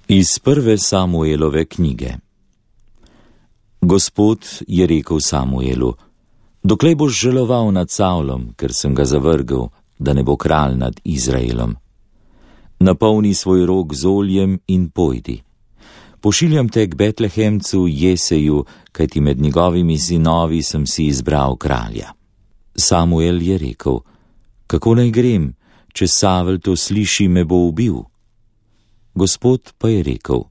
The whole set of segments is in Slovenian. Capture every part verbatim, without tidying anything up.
Iz prve Samuelove knjige. Gospod je rekel Samuelu: Doklej boš žaloval nad Savlom, ker sem ga zavrgel, da ne bo kralj nad Izraelom. Napolni svoj rog z oljem in pojdi. Pošiljam te k Betlehemcu Jeseju, kajti med njegovimi sinovi sem si izbral kralja. Samuel je rekel: Kako naj grem, če Savel to sliši, me bo ubil? Gospod pa je rekel: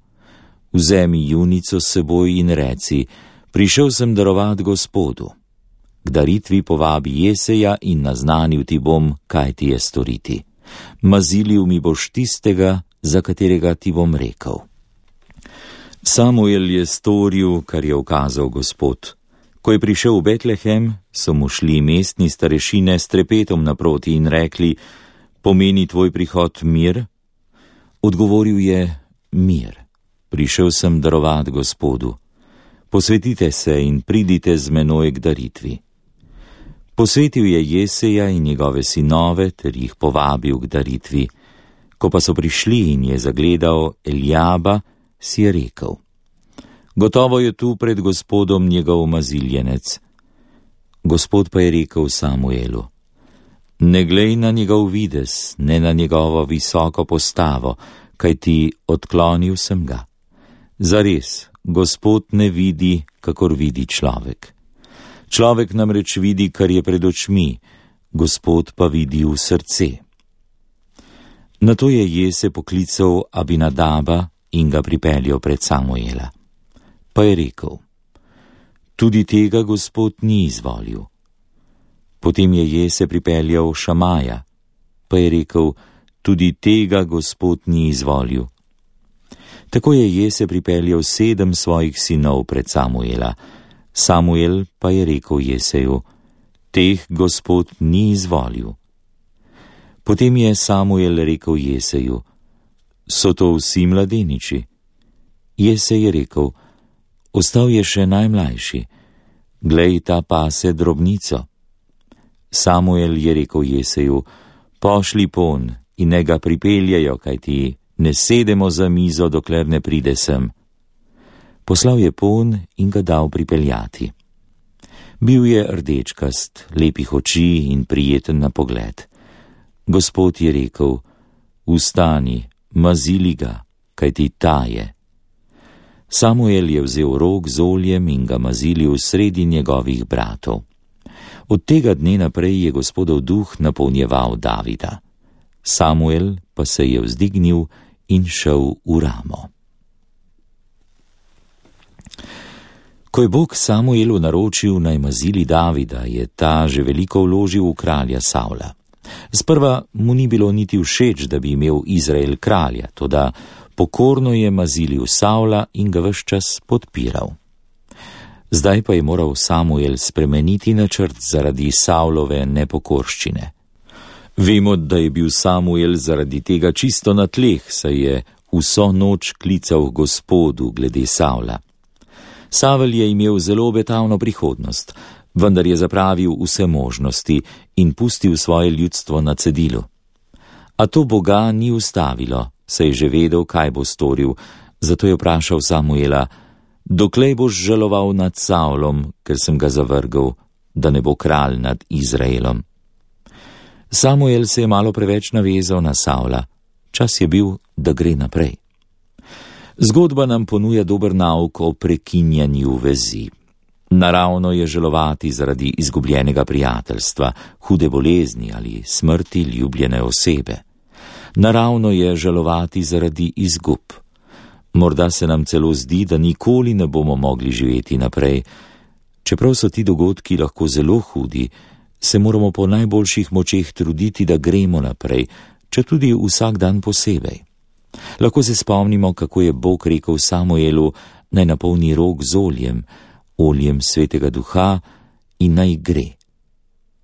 Vzemi junico s seboj in reci: Prišel sem darovat Gospodu. K daritvi povabi Jeseja in naznanil ti bom, kaj ti je storiti. Mazilil mi boš tistega, za katerega ti bom rekel. Samuel je storil, kar je ukazal Gospod. Ko je prišel v Betlehem, so mu šli mestni starešine s trepetom naproti in rekli: Pomeni tvoj prihod mir? Odgovoril je: Mir. Prišel sem darovat Gospodu. Posvetite se in pridite z menoj k daritvi. Posvetil je Jeseja in njegove sinove ter jih povabil k daritvi. Ko pa so prišli in je zagledal Eljaba, si je rekel: Gotovo je tu pred Gospodom njegov maziljenec. Gospod pa je rekel Samuelu: Ne glej na njegov videz, ne na njegovo visoko postavo, kajti odklonil sem ga. Zares, Gospod ne vidi, kakor vidi človek. Človek namreč vidi, kar je pred očmi, Gospod pa vidi v srce. Nato je Jese poklical Abinadaba in ga pripeljal pred Samuela. Pa je rekel: Tudi tega Gospod ni izvolil. Potem je Jese pripeljal Šamaja, pa je rekel: Tudi tega Gospod ni izvolil. Tako je Jese pripeljal sedem svojih sinov pred Samuela. Samuel pa je rekel Jeseju: Teh Gospod ni izvolil. Potem je Samuel rekel Jeseju: So to vsi mladeniči? Jese je rekel: Ostal je še najmlajši. Glej, ta pase drobnico. Samuel je rekel Jeseju: Pošli pon in ne ga pripeljejo, kajti ne sedemo za mizo, dokler ne pride sem. Poslal je pon in ga dal pripeljati. Bil je rdečkast, lepih oči in prijeten na pogled. Gospod je rekel: Vstani, mazili ga, kajti ta je. Samuel je vzel rog z oljem in ga mazilil sredi njegovih bratov. Od tega dne naprej je Gospodov duh napolnjeval Davida. Samuel pa se je vzdignil in šel v Ramo. Ko je Bog Samuelu naročil, naj mazili Davida, je ta že veliko vložil v kralja Savla. Sprva mu ni bilo niti všeč, da bi imel Izrael kralja, toda pokorno je mazilil Savla in ga ves čas podpiral. Zdaj pa je moral Samuel spremeniti načrt zaradi Savlove nepokorščine. Vemo, da je bil Samuel zaradi tega čisto na tleh, saj je vso noč klical Gospodu glede Savla. Savel je imel zelo obetavno prihodnost, vendar je zapravil vse možnosti in pustil svoje ljudstvo na cedilu. A to Boga ni ustavilo, saj je že vedel, kaj bo storil, zato je vprašal Samuela: Doklej boš žaloval nad Savlom, ker sem ga zavrgel, da ne bo kralj nad Izraelom? Samuel se je malo preveč navezal na Savla. Čas je bil, da gre naprej. Zgodba nam ponuja dober nauk o prekinjanju vezi. Naravno je žalovati zaradi izgubljenega prijateljstva, hude bolezni ali smrti ljubljene osebe. Naravno je žalovati zaradi izgub. Morda se nam celo zdi, da nikoli ne bomo mogli živeti naprej. Čeprav so ti dogodki lahko zelo hudi, se moramo po najboljših močeh truditi, da gremo naprej, če tudi vsak dan posebej. Lahko se spomnimo, kako je Bog rekel Samuelu, naj napolni rog z oljem, oljem Svetega Duha, in naj gre.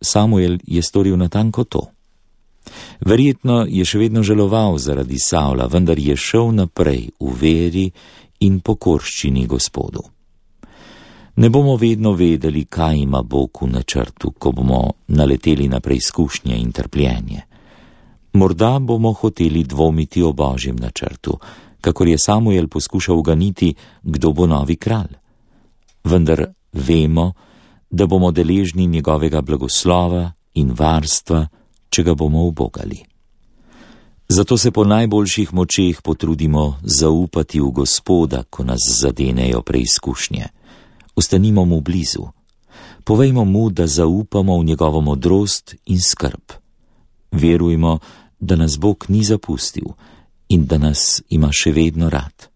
Samuel je storil natanko to. Verjetno je še vedno žaloval zaradi Savla, vendar je šel naprej v veri in pokorščini Gospodu. Ne bomo vedno vedeli, kaj ima Bog v načrtu, ko bomo naleteli na preizkušnje in trpljenje. Morda bomo hoteli dvomiti o Božjem načrtu, kakor je Samuel poskušal uganiti, kdo bo novi kralj. Vendar vemo, da bomo deležni njegovega blagoslova in varstva, če ga bomo ubogali. Zato se po najboljših močeh potrudimo zaupati v Gospoda, ko nas zadenejo preizkušnje. Ostanimo mu blizu. Povejmo mu, da zaupamo v njegovo modrost in skrb. Verujmo, da nas Bog ni zapustil in da nas ima še vedno rad.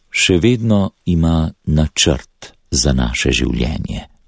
Še vedno ima načrt za naše življenje.